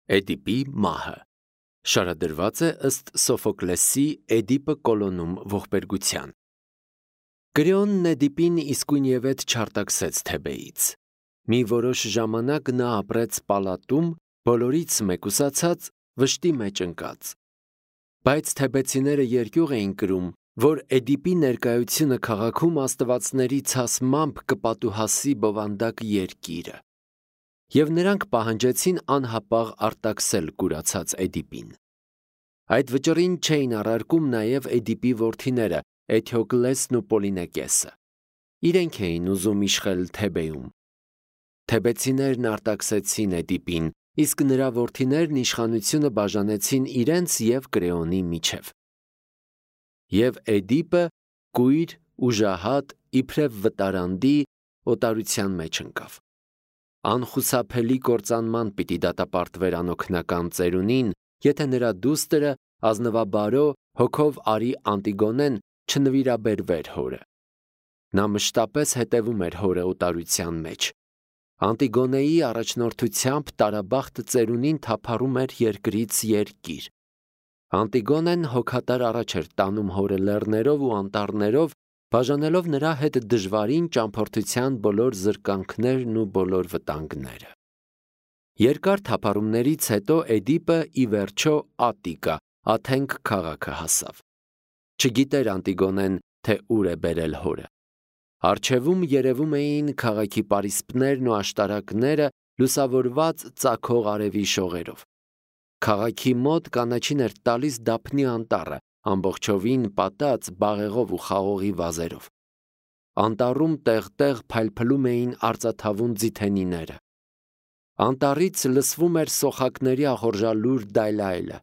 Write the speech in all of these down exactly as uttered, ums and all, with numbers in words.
Էդիպի մահը շարադրված է ըստ Սոֆոկլեսի Էդիպը Կոլոնում ողբերգության։ Կրեոնն Էդիպին իսկույնևեթ չարտաքսեց Թեբեից։ Մի որոշ ժամանակ նա ապրեց պալատում, բոլորից մեկուսացած, վշտի մեջ ընկած։ Բայց թեբեցիները երկյուղ էին կրում, որ Էդիպի ներկայությունը քաղաքում աստվածների ցասմամբ կպատուհասի բովանդակ երկիրը։ Եվ նրանք պահանջեցին անհապաղ արտաքսել կուրացած Էդիպին։ Այդ վճռին չէին առարկում նաև Էդիպի որդիները Էթյոկլեսն ու Պոլինեկեսը։ Իրենք էին ուզում իշխել Թեբեում։ Թեբեցիներն արտաքսեցին Էդիպին, իսկ նրա որդիներն իշխանությունը բաժանեցին իրենց և Կրեոնի միջև։ Եվ Էդիպը կույր, ուժահատ, իբրև վտարանդի օտարության մեջ ընկավ։ Անխուսափելի կործանման պիտի դատապարտվեր անօգնական ծերունին, եթե նրա դուստրը, ազնվաբարո, հոգով արի Անտիգոնեն չնվիրաբերվեր հորը։ Նա մշտապես հետևում էր հորը օտարության մեջ։ Անտիգոնեի առաջնորդությամբ տարաբախտ ծերունին թափառում էր երկրից երկիր։ Անտիգոնեն հոգատար առաջ էր տանում հորը լեռներով ու անտառներով, բաժանելով նրա հետ դժվարին ճամփորդության բոլոր զրկանքներն ու բոլոր վտանգները։ Երկար թափառումներից հետո Էդիպը ի վերջո Ատիկա, Աթենք քաղաքը հասավ։ Չգիտեր Անտիգոնեն, թե ուր է բերել հորը։ Առջևում երևում էին քաղաքի պարիսպներն ու աշտարակները լուսավորված ծագող արևի շողերով։ Քաղաքի մոտ կանաչին էր տալիս Դափնի անտառը, ամբողջովին պատած բաղեղով ու խաղողի վազերով։ Անտառում տեղ-տեղ փայլփլում էին արծաթավուն ձիթենիները։ Անտառից լսվում էր սոխակների ախորժալուր դայլայլը։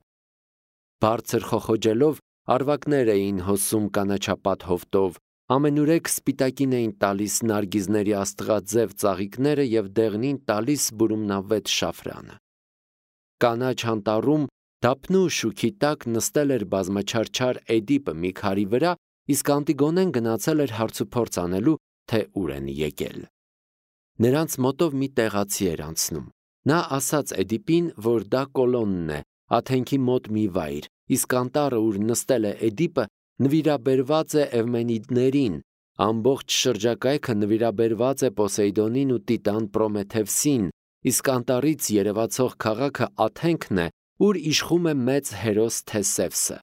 Բարձր խոխոջելով արվակներ էին հոսում կանաչապատ հովտով, ամենուրեք սպիտակին էին տալիս նարգիզների աստղաձև ծաղիկները և դեղնին տալիս բուրումնավետ շաֆրանը։ Կանաչ անտառում Դափնու շուքի տակ նստել էր բազմաչարչար Էդիպը մի քարի վրա, իսկ Անտիգոնեն գնացել էր հարցուփորձ անելու, թե ուր են եկել։ Նրանց մոտով մի տեղացի էր անցնում։ Նա ասաց Էդիպին, որ դա Կոլոնն է, Աթենքի մոտ մի վայր, իսկ անտառը, ուր նստել է Էդիպը, նվիրաբերված է Էվմենիդներին, ամբողջ շրջակայքը նվիրաբերված է Պոսեյդոնին ու Տիտան Պրոմեթևսին, իսկ անտառից երևացող քաղաքը Աթենքն է, ուր իշխում է մեծ հերոս Թեսևսը,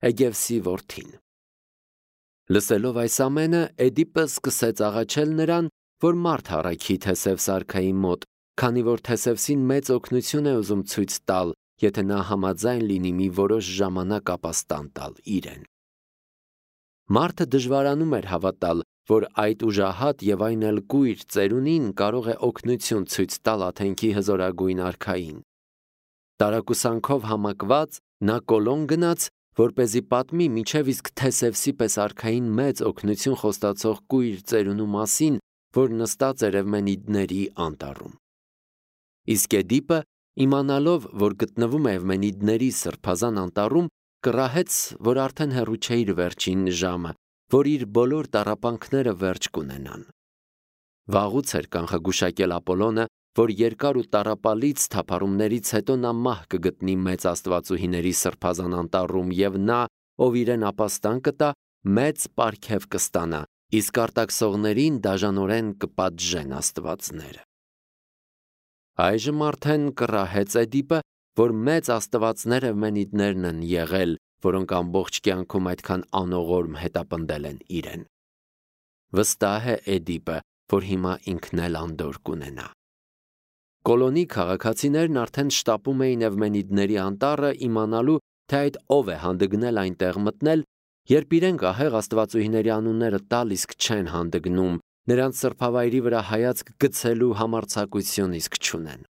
Էգևսի որդին։ Լսելով այս ամենը, Էդիպը սկսեց աղաչել նրան, որ մարդ առաքի Թեսևս արքայի մոտ, քանի որ Թեսևսին մեծ օգնություն է ուզում ցույց տալ, եթե նա համաձայն լինի մի որոշ ժամանակ ապաստան տալ իրեն։ Մարդը դժվարանում էր հավատալ, որ այդ ուժահատ եւ այն էլ կույր ծերունին կարող է օգնություն ցույց տալ Աթենքի հզորագույն արքային։ Տարակուսանքով համակված նա Կոլոն գնաց, որպեսզի պատմի միջև իսկ Թեսևսի պես արքային մեծ օգնություն խոստացող կույր ծերունու մասին, որ նստած էր Էվմենիդների անտառում։ Իսկ Էդիպը, իմանալով, որ գտնվում է Էվմենիդների սրբազան անտառում, կռահեց, որ արդեն հեռու չէ իր վերջին ժամը, որ իր բոլոր տառապանքները վերջ կունենան։ Վաղուց էր կանխագուշակել Ապոլոնը, որ երկար ու տառապալից թափառումներից հետո նա մահ կգտնի մեծ աստվածուհիների սրբազան անտառում, և նա, ով իրեն ապաստան կտա, մեծ պարգև կստանա, իսկ արտաքսողներին դաժանորեն կպատժեն աստվածները։ Այժմ արդեն կռահեց Էդիպը, որ մեծ աստվածներ Էվմենիդներն են եղել, որոնք ամբողջ կյանքում այդքան անողորմ հետապնդել են իրեն։ Վստահ է Էդիպը, որ հիմա ինքն էլ անդորր կունենա։ Կոլոնի քաղաքացիներն արդեն շտապում էին Էվմենիդների անտառը, իմանալու, թե այդ ով է հանդգնել այնտեղ մտնել, երբ իրենք ահեղ աստվածուհիների անունները տալ իսկ չեն հանդգնում, նրանց սրբավայրի վրա հայացք գցելու համարձակություն իսկ չունեն։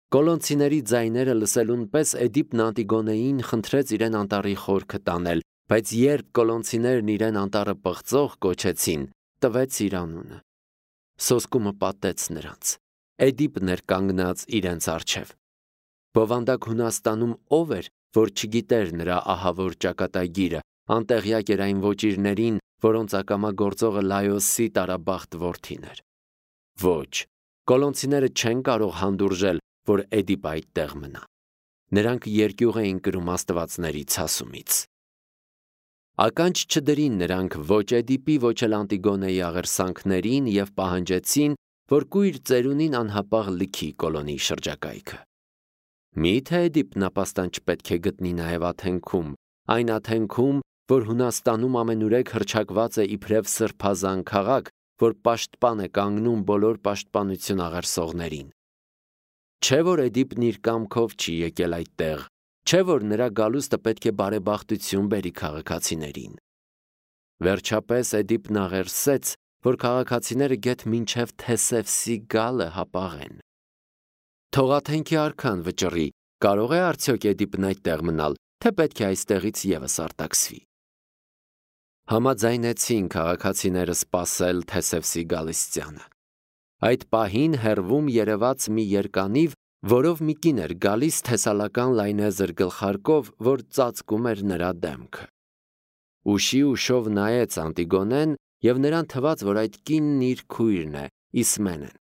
Կոլոնցիների ձայները լսելուն պես Էդիպն Անտիգոնեին խնդրեց իրեն անտառի խորքը տանել, բայց երբ կոլոնցիներն իրեն անտառը պղծող կոչեցին, տվեց իր անունը։ Սոսկումը պատեց նրանց։ Էդիպն էր կանգնած իրենց առջև։ Բովանդակ Հունաստանում ով էր, որ չգիտեր նրա ահավոր ճակատագիրը, անտեղյակ էր այն ոճիրներին, որոնց ակամա գործողը Լայոսի տարաբախտ որդին էր։ Ոչ, կոլոնցիները չեն կարող հանդուրժել, որ Էդիպը այդտեղ մնա։ Նրանք երկյուղ էին կրում աստվածների ցասումից։ Ականջ չդրին նրանք ոչ Էդիպի, ոչ էլ Անտիգոնեի աղերսանքներին և պահանջեցին, որ կույր ծերունին անհապաղ լքի Կոլոնի շրջակայքը։ Մի՞թե Էդիպն ապաստան չպետք է գտնի նաև Աթենքում, այն Աթենքում, որ Հունաստանում ամենուրեք հռչակված է իբրև սրբազան քաղաք, որ պաշտպան է կանգնում բոլոր պաշտպանություն աղերսողներին։ Չէ՞ որ Էդիպն իր կամքով չի եկել այդտեղ, չէ՞ որ նրա գալուստը պետք է բարեբախտություն բերի քաղաքացիներին։ Վերջապես Էդիպն աղերսեց, որ քաղաքացիները գեթ մինչև Թեսևսի գալը հապաղեն։ Թող Աթենքի արքան վճռի, կարող է արդյոք Էդիպն այդտեղ մնալ, թե պետք է այստեղից ևս արտաքսվի։ Համաձայնեցին քաղաքացիները սպասել Թեսևսի գալստյանը։ Այդ պահին հեռվում երևաց մի երկանիվ, որով մի կին էր գալիս թեսալական լայնեզր գլխարկով, որ ծածկում էր նրա դեմքը։ Ուշի ուշով նայեց Անտիգոնեն, և նրան թվաց, որ այդ կինն իր քույրն է, Իսմենեն։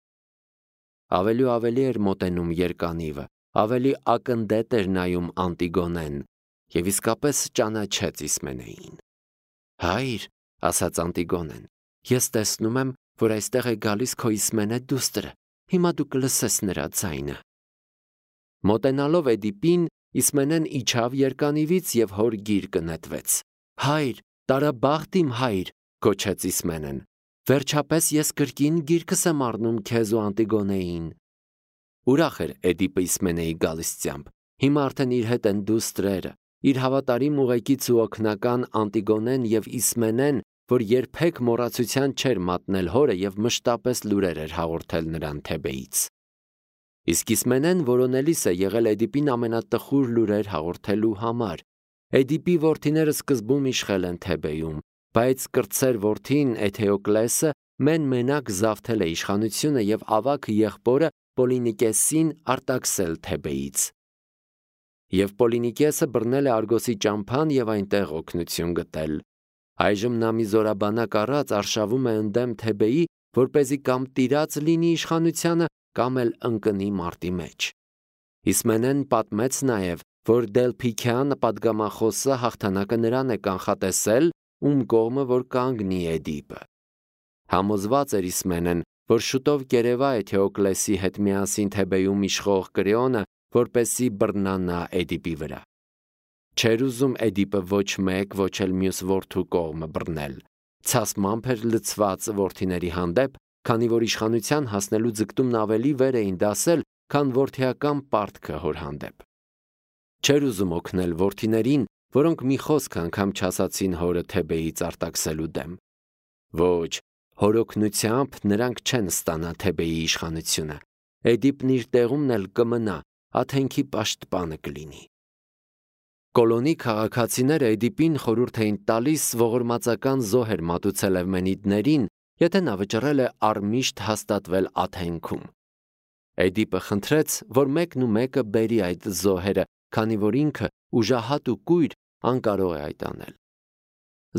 Ավելի ու ավելի էր մոտենում երկանիվը, ավելի ակնդետ էր նայում Անտիգոնեն, և իսկապես ճանաչեց Իսմենեին։ «Հայր», ասաց Անտիգոնեն, «ես տեսնում եմ, որ այստեղ է գալիս քո Իսմենե դուստրը, հիմա դու կլսես նրա ձայնը»։ Մոտենալով Էդիպին, Իսմենեն իջավ երկանիվից և հոր գիրկը նետվեց։ «Հայր, տարաբաղտ իմ հայր», գոչեց Իսմենեն, «վերջապես ես կրկին գիրկս եմ առնում քեզ ու Անտիգոնեին»։ Ուրախ էր Էդիպը Իսմենեի գալստյամբ, հիմա արդեն իր հետ են դուստրերը, իր հավատարիմ ուղեկից ու օգնական Անտիգոնեն և Իսմենեն, որ երբեք մոռացության չէր մատնել հորը և մշտապես լուրեր էր հաղորդել նրան Թեբեից։ Իսկ Իսմենեն որոնելիս է եղել Էդիպին ամենատխուր լուրեր հաղորդելու համար։ Էդիպի որդիները սկզբում իշխել են Թեբեյում, բայց կրտսեր որդին Էթեոկլեսը մեն-մենակ զավթել է իշխանությունը և ավագ եղբորը Պոլինիկեսին արտաքսել Թեբեից։ Եվ Պոլինիկեսը բռնել է Արգոսի ճամփան և այնտեղ օգնություն գտել։ Այժմ նա մի զորաբանակ առած արշավում է ընդդեմ Թեբեի, որպեսզի կամ տիրած լինի իշխանությանը, կամ էլ ընկնի մարտի մեջ։ Իսմենեն պատմեց նաև, որ Դելփիքյան պատգամախոսը հաղթանակը նրան է կանխատեսել, ում կողմը որ կանգնի Էդիպը։ Համոզված էր Իսմենեն, որ շուտով կերևա Էթեոկլեսի հետ միասին Թեբեյում իշխող Կրեոնը, որպեսզի բռնանա Էդիպի վրա։ Չէր ուզում Էդիպը ոչ մեկ, ոչ էլ մյուս որդու կողմը բռնել։ Ցասմամբ էր լցված որդիների հանդեպ, քանի որ իշխանության հասնելու ձգտումն ավելի վեր էին դասել, քան որդիական պարտքը հոր հանդեպ։ Չէր ուզում օգնել որդիներին, որոնք մի խոսք անգամ չասացին հորը Թեբեից արտաքսելու դեմ։ Ոչ, հոր օգնությամբ նրանք չեն ստանա Թեբեի իշխանությունը։ Էդիպն իր տեղումն էլ կմնա, Աթենքի պաշտպանը կլինի։ Կոլոնի քաղաքացիները Էդիպին խորհուրդ էին տալիս ողորմածական զոհեր մատուցել Էվմենիդներին, եթե նա վճռել է առմիշտ հաստատվել Աթենքում։ Էդիպը խնդրեց, որ մեկն ու մեկը բերի այդ զոհերը, քանի որ ինքը ուժահատ ու կույր անկարող է այդ անել։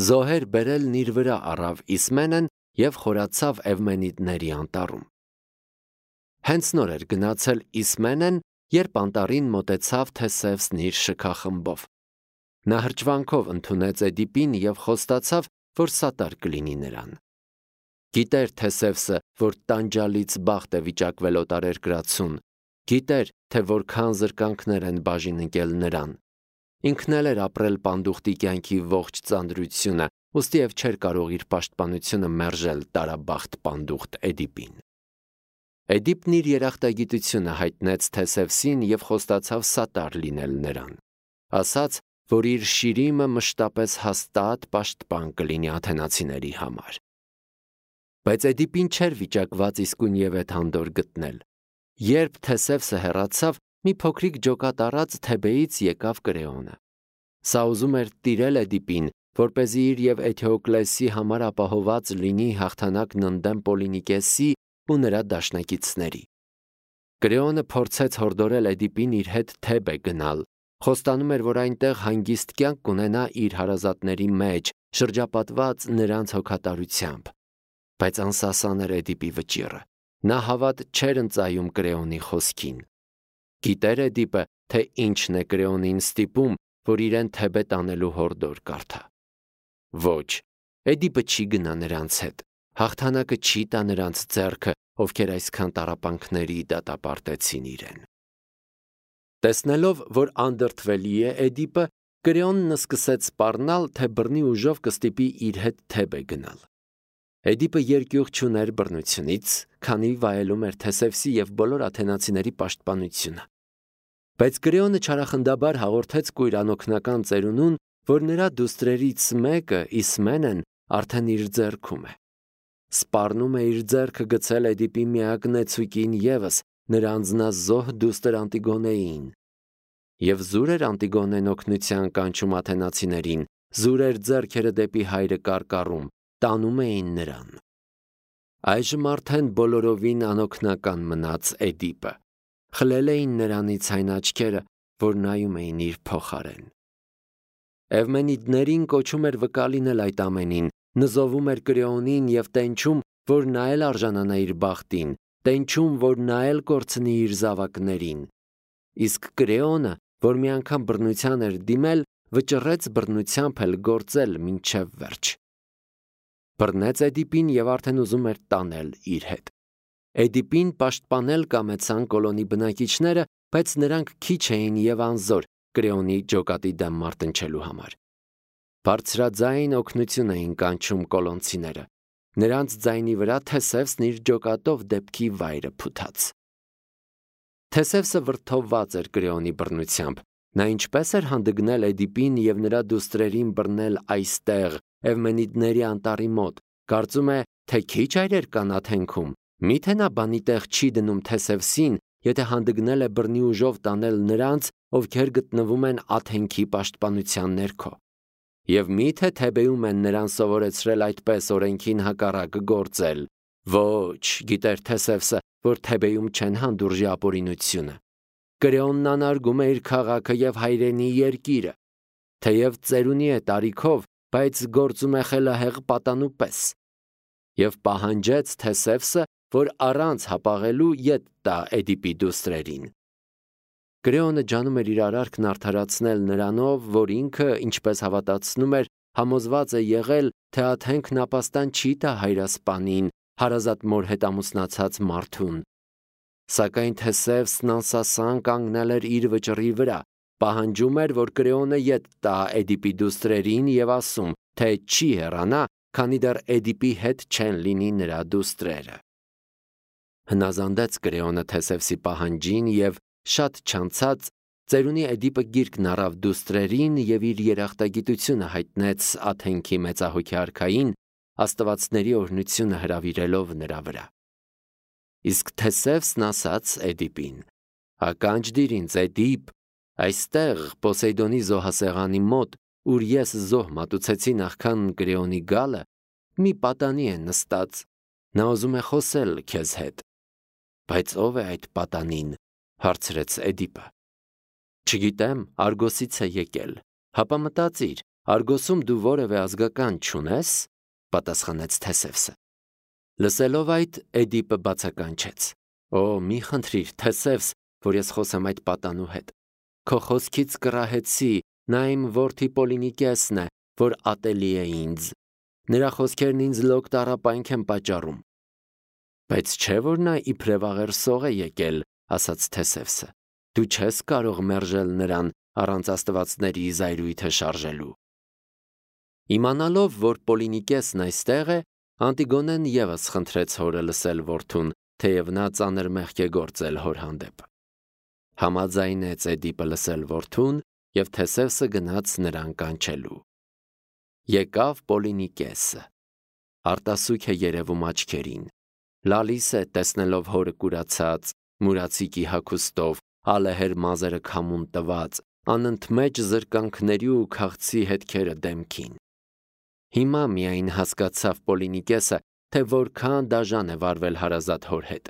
Զոհեր բերելն իր վրա առավ Իսմենեն և խորացավ Էվմենիդների անտառում։ Հենց նոր էր գնացել Իսմենեն, երբ անտառին մոտեցավ Թեսևսն իր շքախմբով։ Նա հրճվանքով ընդունեց Էդիպին և խոստացավ, որ սատար կլինի նրան։ Գիտեր Թեսևսը, որ տանջալից բախտ է վիճակվել օտարերկրացուն, գիտեր, թե որքան զրկանքներ են բաժին ընկել նրան։ Ինքն էլ էր ապրել պանդուխտի կյանքի ողջ ծանրությունը, ուստիև չէր կարող իր պաշտպանությունը մերժել տարաբախտ պանդուխտ Էդիպին։ Էդիպն իր երախտագիտությունը հայտնեց Թեսևսին և խոստացավ սատար լինել նրան։ Ասաց, որ իր շիրիմը մշտապես հաստատ պաշտպան կլինի աթենացիների համար։ Բայց Էդիպին չէր վիճակված իսկույնևեթ հանդոր գտնել։ Երբ Թեսևսը հեռացավ, մի փոքրիկ ջոկատ առած Թեբեից եկավ Կրեոնը։ Սա ուզում էր տիրել Էդիպին, որպեսզի իր և Էթեոկլեսի համար ապահոված լինի հաղթանակն ընդդեմ Պոլինիկեսի ու նրա դաշնակիցների։ Կրեոնը փորձեց հորդորել Էդիպին իր հետ Թեբե գնալ, խոստանում էր, որ այնտեղ հանգիստ կյանք կունենա իր հարազատների մեջ, շրջապատված նրանց հոգատարությամբ։ Բայց անսասան էր Էդիպի վճիռը։ Նա հավատ չէր ընծայում Կրեոնի խոսքին։ Գիտեր Էդիպը, թե ինչն է Կրեոնին ստիպում, որ իրեն Թեբե տանելու հորդոր կարդա։ Ոչ, Էդիպը չի գնա նրանց հետ, հաղթանակը չի տա նրանց ձեռքը, ովքեր այսքան տառապանքների դատապարտեցին իրեն։ Տեսնելով, որ անդրդվելի է Էդիպը, Կրեոնն սկսեց սպառնալ, թե բռնի ուժով կստիպի իր հետ Թեբե գնալ։ Էդիպը երկյուղ չուներ բռնությունից, քանի վայելում էր Թեսևսի և բոլոր աթենացիների պաշտպանությունը։ Բայց Կրեոնը չարախնդաբար հաղորդեց կույր անօգնական ծերունուն, որ նրա դուստրերից մեկը, Իսմենեն, արդեն իր ձեռքում է։ Սպառնում է իր ձեռքը գցել Էդիպի միակ նեցուկին ևս, նրա անձնազոհ դուստր Անտիգոնեին։ Եվ զուր էր Անտիգոնեն օգնության կանչում աթենացիներին, զուր էր ձեռքերը դեպի հայրը կարկառում, տանում էին նրան։ Այժմ արդեն բոլորովին անօգնական մնաց Էդիպը։ Խլել էին նրանից այն աչքերը, որ նայում էին իր փոխարեն։ Էվմենիդներին կոչում էր վկա լինել այդ ամենին, նզովում էր Կրեոնին և տենչում, որ նա էլ արժանանա իր բախտին, տենչում, որ նա էլ կորցնի իր զավակներին։ Իսկ Կրեոնը, որ մի անգամ բռնության էր դիմել, վճռեց բռնությամբ էլ գործել մինչև վերջ։ Բռնեց Էդիպին և արդեն ուզում էր տանել իր հետ։ Էդիպին պաշտպանել կամեցան Կոլոնի բնակիչները, բայց նրանք քիչ էին և անզոր Կրեոնի ջոկատի դեմ մարտնչելու համար։ Բարձրաձայն օգնություն էին կանչում կոլոնցիները։ Նրանց ձայնի վրա Թեսևսն իր ջոկատով դեպքի վայրը փութաց։ Թեսևսը վրդովված էր Կրեոնի բռնությամբ։ Նա ինչպես էր հանդգնել Էդիպին և նրա դուստրերին բռնել այստեղ, Էվմենիդների անտառի մոտ, կարծում է, թե քիչ այրեր կան Աթենքում, միթե նա բանի տեղ չի դնում Թեսևսին, եթե հանդգնել է բռնի ուժով տանել նրանց, ովքեր գտնվում են Աթենքի պաշտպանության ներքո։ Եվ միթե Թեբեում են նրան սովորեցրել այդպես օրենքին հակառակ գործել։ Ոչ, գիտեր Թեսևսը, որ Թեբեում չեն հանդուրժի ապօրինությունը։ Կրեոնն անարգում է իր քաղաքը և հայրենի երկիրը։ Թեև ծերունի է տարիքով, բայց գործում է խելահեղ պատանու պես։ Եվ պահանջեց Թեսևսը, որ առանց հապաղելու ետ տա Էդիպի դուստրերին։ Կրեոնը ջանում էր իր արարքն արդարացնել նրանով, որ ինքը, ինչպես հավատացնում էր, համոզված է եղել, թե Աթենքն ապաստան չի տա հայրասպանին, հարազատ մոր հետ ամուսնացած մարդուն։ Սակայն Թեսևսն անսասան կանգնել էր իր վճռի վրա, պահանջում էր, որ Կրեոնը ետ տա Էդիպի դուստրերին և ասում, թե չի հեռանա, քանի դեռ Էդիպի հետ չեն լինի նրա դուստրերը։ Հնազանդեց Կրեոնը Թեսևսի պահանջին և շատ չանցած ծերունի Էդիպը գիրկն առավ դուստրերին և իր երախտագիտությունը հայտնեց Աթենքի մեծահոգի արքային, աստվածների օրհնությունը հրավիրելով նրա վրա։ Իսկ Թեսևսն ասաց Էդիպին. «Ականջ դիր ինձ, Էդիպ, այստեղ Պոսեյդոնի զոհասեղանի մոտ, ուր ես զոհ մատուցեցի նախքան Կրեոնի գալը, մի պատանի է նստած, նա ուզում է խոսել քեզ հետ»։ Բայց ո՞վ է այդ պատանին, հարցրեց Էդիպը։ Չգիտեմ, Արգոսից է եկել, հապա մտածիր, Արգոսում դու որևէ ազգական չունես, պատասխանեց Թեսևսը։ Լսելով այդ, Էդիպը բացականչեց. Օ, մի խնդրիր, Թեսևս, որ ես խոսեմ այդ պատանու հետ։ Քո խոսքից կռահեցի, նա իմ որդի Պոլինիկեսն է, որ ատելի է ինձ։ Նրա խոսքերն ինձ լոկ տառապանք են պատճառում։ Բայց չէ՞ որ նա իբրև աղերսող է եկել, ասաց Թեսևսը։ Դու չես կարող մերժել նրան առանց աստվածների զայրույթը շարժելու։ Իմանալով, որ Պոլինիկեսն այստեղ է, Անտիգոնեն ևս խնդրեց հորը լսել որդուն, թեև նա ծանր մեղք է գործել հոր հանդեպ։ Համաձայնեց Էդիպը լսել որդուն, և Թեսևսը գնաց նրան կանչելու։ Եկավ Պոլինիկեսը։ Արտասուք է երևում աչքերին։ Լալիս է, տեսնելով հորը կուրացած, մուրացիկի հագուստով, ալեհեր մազերը քամուն տված, անընդմեջ զրկանքների ու քաղցի հետքերը դեմքին։ Հիմա միայն հասկացավ Պոլինիկեսը, թե որքան դաժան է վարվել հարազատ հոր հետ։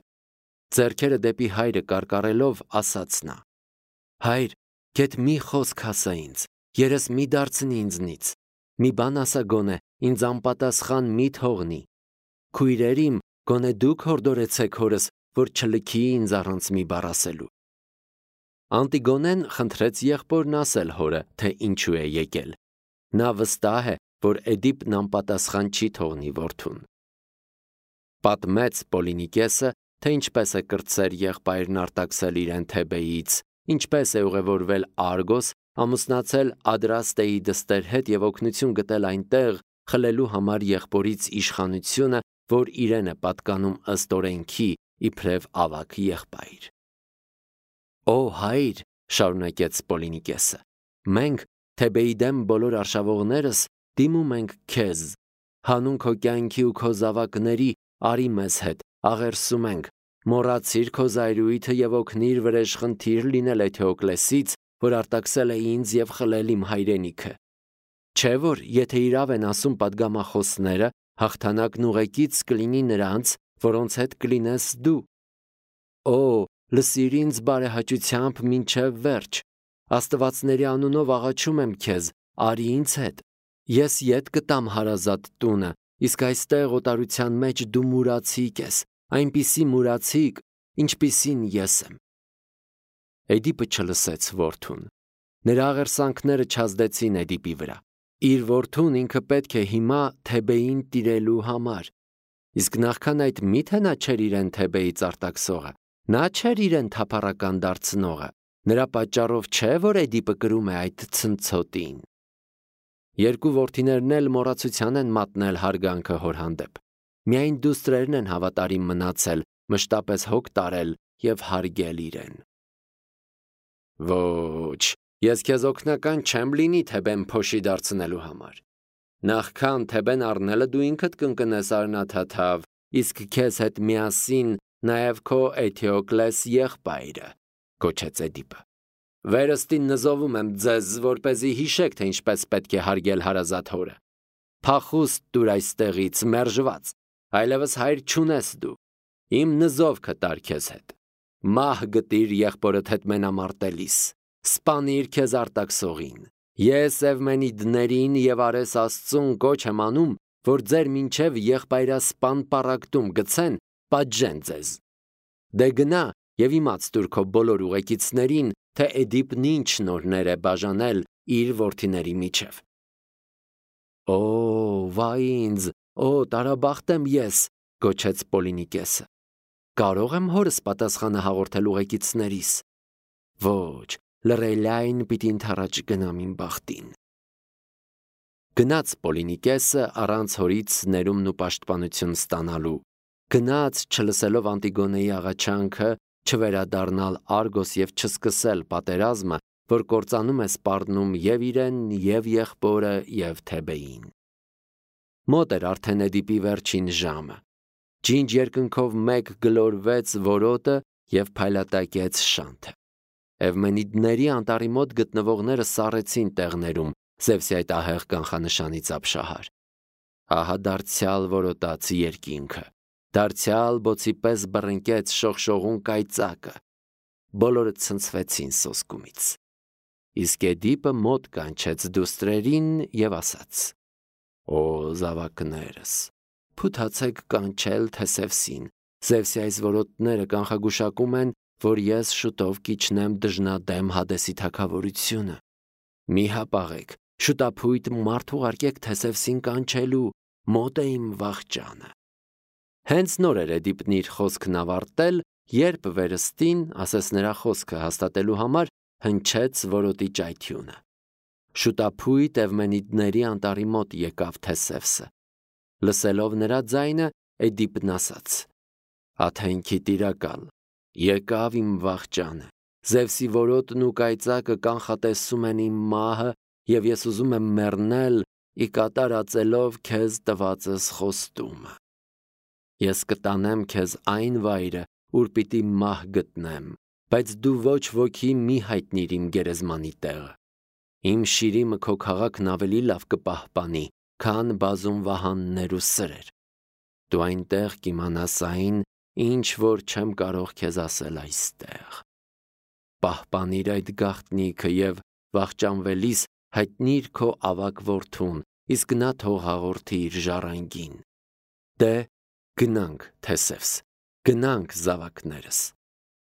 Ձեռքերը դեպի հայրը կարկառելով ասաց նա. Հայր, գեթ մի խոսք ասա ինձ, երես մի դարձնի ինձնից, մի բան ասա գոնե, ինձ անպատասխան մի թողնի։ Քույրեր իմ, գոնե դուք հորդորեցեք հորս, որ չլքի ինձ առանց մի բառ ասելու։ Անտիգոնեն խնդրեց եղբորն ասել հորը, թե ինչու է եկել։ Նա վստահ է, որ Էդիպն անպատասխան չի թողնի որդուն։ Պատմեց Պոլինիկեսը, թե ինչպես է կրտսեր եղբայրն արտաքսել իրեն Թեբեից, ինչպես է ուղևորվել Արգոս, ամուսնացել Ադրաստեի դստեր հետ եւ օգնություն գտել այնտեղ, խլելու համար եղբորից իշխանությունը, որ իրեն է պատկանում ըստ օրենքի, իբրև ավագ եղբայր։ Օ հայր, շարունակեց Պոլինիկեսը, մենք Թեբեի դեմ բոլոր արշավողներս դիմում ենք քեզ, հանուն քո կյանքի ու քո զավակների, արի մեզ հետ, աղերսում ենք, մոռացիր քո զայրույթը եւ օգնիր վրեժխնդիր լինել Էթեոկլեսից, որ արտաքսել է ինձ եւ խլել իմ հայրենիքը։ Չէ որ եթե իրավ են ասում պատգամախոսները, հաղթանակն ուղեկից կլինի նրանց, որոնց հետ կլինես դու։ Օ, լսիր ինձ բարեհաճությամբ մինչև վերջ, աստվածների անունով աղաչում եմ քեզ, արի ինձ հետ, ես ետ կտամ հարազատ տունը, իսկ այստեղ օտարության մեջ դու մուրացիկ ես, այնպիսի մուրացիկ, ինչպիսին ես եմ։ Էդիպը չլսեց որդուն։ Նրա աղերսանքները չազդեցին Էդիպի վրա։ Իր որդուն ինքը պետք է հիմա Թեբեին տիրելու համար։ Իսկ նախքան այդ միթե նա չէր իրեն Թեբեից արտաքսողը, նա չէր իրեն թափառական դարձնողը, նրա պատճառով չէ, որ Էդիպը կրում է այդ ցնցոտին։ Երկու որդիներն էլ մոռացության են մատնել հարգանքը հոր հանդեպ։ Միայն դուստրերն են հավատարիմ մնացել, մշտապես հոգ տարել եւ հարգել իրեն։ Ոչ, ես քեզ օգնական չեմ լինի Թեբեն փոշի դարձնելու համար։ Նախքան Թեբեն առնելը դու ինքդ կընկնես արնաթաթավ, իսկ քեզ հետ միասին նաև քո Էթեոկլես եղբայրը, գոչեց Էդիպը։ Վերստին նզովում եմ ձեզ, որպեսզի հիշեք, թե ինչպես պետք է հարգել հարազատ հորը։ Փախուստ դուր այստեղից մերժված, այլևս հայր չունես դու։ Իմ նզովքը տար քեզ հետ։ Մահ գտիր եղբորդ հետ մենամարտելիս, սպանիր քեզ արտաքսողին։ Ես Էվմենիդներին եւ Արես Աստծուն կոչ եմ անում, որ ձեր մինչև եղբայրասպան պառակտում գցեն, պատժեն ձեզ։ Դե գնա եւ իմաց տուր քո բոլոր ուղեկիցներին, թե Էդիպն ինչ նորներ է բաժանել իր որդիների միջև։ Օ, վայ ինձ, օ, տարաբախտ եմ ես, գոչեց Պոլինիկեսը։ Կարող եմ հորս պատասխանը հաղորդել ուղեկիցներիս։ Ոչ, լռելայն պիտի ընթառաջ գնամ իմ բախտին։ Գնաց Պոլինիկեսը առանց հորից ներումն ու պաշտպանություն ստանալու։ Գնաց չլսելով Անտիգոնեի աղաչանքը, չվերադառնալ Արգոս եւ չսկսել պատերազմը, որ կործանում է սպառնում եւ իրեն, եւ եղբորը, եւ Թեբեին։ Մոտ էր արդեն Էդիպի վերջին ժամը։ Ջինջ երկնքով մեկ գլորվեց որոտը եւ փայլատակեց շանթը։ Էվմենիդների անտառի մոտ գտնվողները սառեցին տեղներում Զևսի այդ ահեղ կանխանշանից ապշահար։ Ահա դարձյալ որոտաց երկինքը, դարձյալ բոցի պես բռնկեց շողշողուն կայծակը։ Բոլորը ցնցվեցին սոսկումից։ Իսկ Էդիպը մոտ կանչեց դուստրերին եւ ասաց. Օ զավակներս, փութացեք կանչել Թեսևսին, Զևսի այս որոտները կանխագուշակում են, որ ես շուտով կիջնեմ դժնադեմ Հադեսի թագավորությունը։ Մի հապաղեք, շուտափույթ մարդ ուղարկեք Թեսևսին կանչելու, մոտ է իմ վախճանը։ Հենց նոր էր Էդիպն իր խոսքն ավարտել, երբ վերստին, ասես նրա խոսքը հաստատելու համար, հնչեց որոտի ճայթյունը։ Շուտափույթ Էվմենիդների անտառի մոտ եկավ Թեսևսը։ Լսելով նրա ձայնը, Էդիպն ասաց. Աթենքի տիրակալ, եկավ իմ վախճանը, Զևսի որոտն ու կայծակը կանխատեսում են իմ մահը, եւ ես ուզում եմ մեռնել, ի կատար ածելով քեզ տվածս խոստումը։ Ես կտանեմ քեզ այն վայրը, ուր պիտի մահ գտնեմ, բայց դու ոչ ոքի մի հայտնիր իմ գերեզմանի տեղը։ Իմ շիրիմը քո քաղաքն ավելի լավ կպահպանի, քան բազում վահաններ ու սրեր։ Դու այնտեղ կիմանաս այն, ինչ որ չեմ կարող քեզ ասել այստեղ։ Պահպանիր այդ գաղտնիքը եւ վախճանվելիս հայտնիր քո ավակ որդուն, իսկ նա թող հաղորդի իր ժառանգին։ Դե գնանք, Թեսևս, գնանք զավակներս։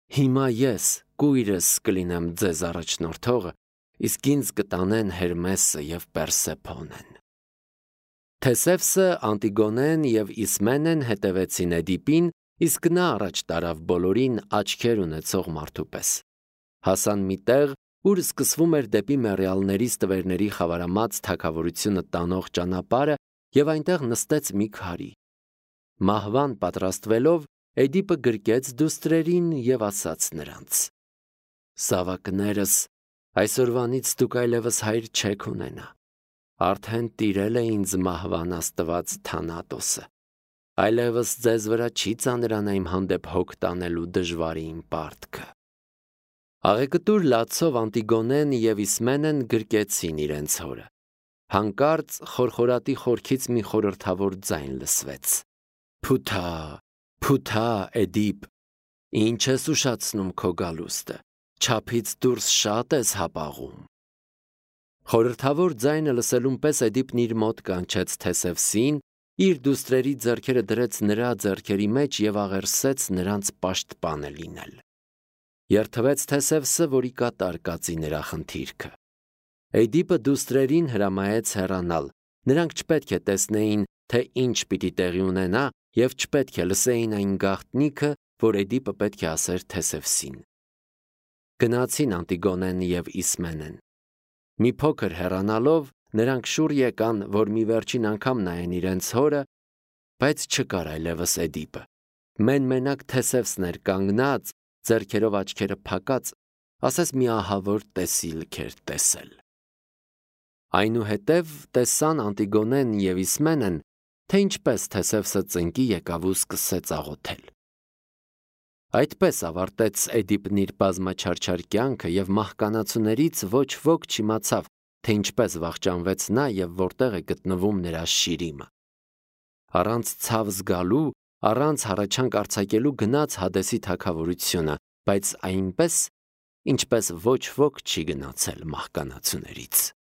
Հիմա ես, կույրս կլինեմ ձեզ առաջնորդողը, իսկ ինձ կտանեն Հերմեսը և Պերսեփոնեն։ Թեսևսը, Անտիգոնեն և Իսմենեն հետևեցին Էդիպին, իսկ նա առաջ տարավ բոլորին աչքեր ունեցող մարդու պես։ Հասան մի տեղ, ուր սկսվում էր դեպի մեռյալների ստվերների խավարամած թագավորությունը տանող ճանապարհը, և այնտեղ նստեց մի քարի։ Մահվան պատրաստվելով, Էդիպը գրկեց դուստրերին և ասաց նրանց. «Զավակներս, այսօրվանից դուք այլևս հայր չեք ունենա, արդեն տիրել է ինձ մահվան աստված Թանատոսը, այլևս ձեզ վրա չի ծանրանա իմ հանդեպ հոգ տանելու դժվարին պարտքը»։ Աղեկտուր լացով Անտիգոնեն և Իսմենեն գրկեցին իրենց հորը։ Հանկարծ խորխորատի խորքից մի խորհրդավոր ձայն լսվեց. «Փութա, փութա, Էդիպ, ինչ ես ուշացնում քո գալուստը, չափից դուրս շատ ես հապաղում»։ Խորհրդավոր ձայնը լսելուն պես Էդիպն իր մոտ կանչեց Թեսևսին, իր դուստրերի ձեռքերը դրեց նրա ձեռքերի մեջ և աղերսեց նրանց պաշտպանը լինել։ Երդվեց Թեսևսը, որի կատար կացի նրա խնդիրքը։ Էդիպը դուստրերին հրամայեց հեռանալ, նրանք չպետք է տեսնեին, թե ինչ պիտի տեղի ունենա, և չպետք է լսեին այն գաղտնիքը, որ Էդիպը պետք է ասեր Թեսևսին։ Գնացին Անտիգոնեն և Իսմենեն։ Մի փոքր հեռանալով, նրանք շուռ եկան, որ մի վերջին անգամ նայեն իրենց հորը, բայց չկար այլևս Էդիպը։ Մեն-մենակ Թեսևսն էր կանգնած, ձեռքերով աչքերը փակած, ասես մի ահավոր տեսիլք էր տեսել։ Այնուհետև տեսան Անտիգոնեն և Իսմենեն, թե ինչպես Թեսևսը ծնկի եկավ ու սկսեց աղոթել։ Այդպես ավարտեց Էդիպն իր բազմաչարչար կյանքը, և մահկանացուներից ոչ ոք չիմացավ, թե ինչպես վախճանվեց նա և որտեղ է գտնվում նրա շիրիմը։ Առանց ցավ զգալու, առանց հառաչանք արձակելու գնաց Հադեսի թագավորությունը, բայց այնպես, ինչպես ոչ ոք չի գնացել մահկանացուներից։